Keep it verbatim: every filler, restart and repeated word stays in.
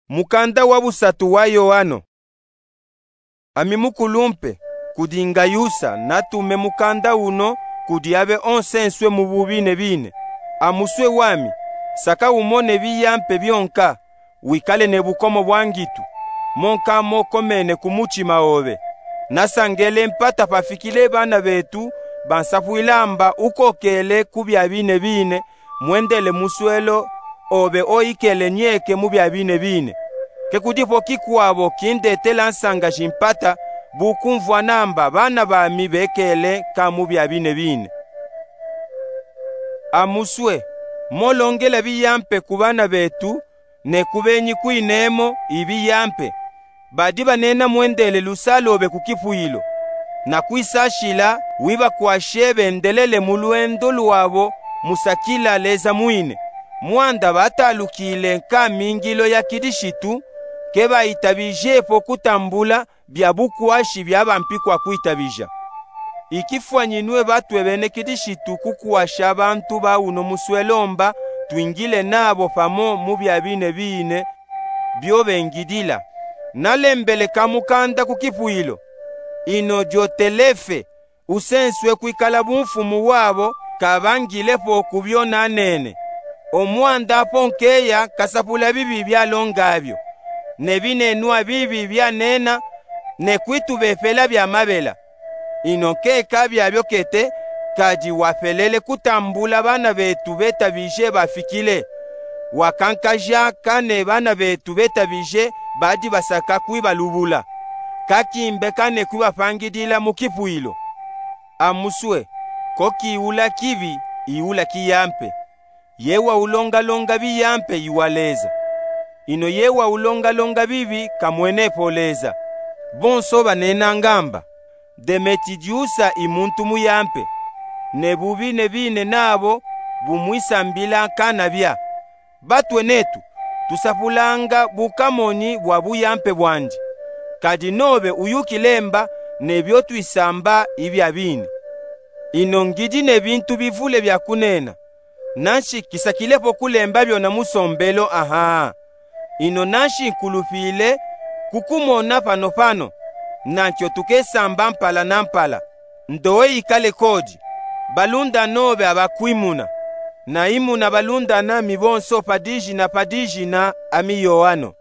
Mukanda wa busatu wa Yoano. Ami mukulumpe, kudi ngayusa natume mukanda uno kudi abe onsenswe mu bubine bine. Amuswe wami, saka umone biyampe byonka, wikale ne bukomo bwa ngitu, monka mokomene ku mutima obe. Nasangele mpata pafikile bana betu bansapwila mba ukokele ku bya bine bine, mwendele muswelo obe oyikele nyeke mu bya bine bine. Ke kudipo kikwabo kindetela nsanga jimpata, bu kumvwa namba bana bami bekele ka mu bya bine bine. Amuswe, molongela biyampe ku bana betu, ne ku benyi kwinemo ibiyampe, badi banena mwendele lusalobe ku kipwilo. Na kwisashila wibakwashe bendelele mu lwendo lwabo musakila Leza mwine. Mwanda batalukile nkamingilo ya Kilishitu, ke bayitabijepo kutambula bya bukwashi bya bampikwa kwitabija. Ikifwanyinwe batwe bene Kilishitu kukwasha bantu ba uno muswelo mba twingile nabo pamo mu bya bine bine byo bengidila. Nalembele kamukanda ku kipwilo. Ino Diotelefe, usenswe kwikala bumfumu wabo, kabangilepo ku byo nanene. Omwanda apo nkeya kasapula bibi byalonga byo, ne binenwa bibi byanena, ne kwitubepela bya mabela. Ino nkeka byabyo kete, kadi wapelele kutambula bana betu betabije bafikile. Wakankaja kane bana betu betabije badi basaka kwibalubula. Kakimbe kane kwibapangidila mu kipwilo. Amuswe, ko kiula kibi, iula kiyampe. Ye waulongalonga biyampe iwa Leza. Ino ye waulongalonga bibi kamwenepo Leza. Bonso banenanga mba, Demetidiusa i muntu muyampe, ne bubine bine nabo bumwisambila kanabya. Batwe netu, tusapulanga bukamonyi bwa buyampe bwandi. Kadi nobe uyukile mba ne byo twisamba ibya bine. Ino ngidi ne bintu bivule bya kunena, nanshi kisakilepo kulemba byona musombelo aha. Ino nanshi nkulupile kukumona panopano, nankyo tukesamba mpala na mpala. Ndowe ikale kodi, balunda nobe abakwimuna. Naimuna balunda nami bonso pa dijina pa dijina, ami Yoano.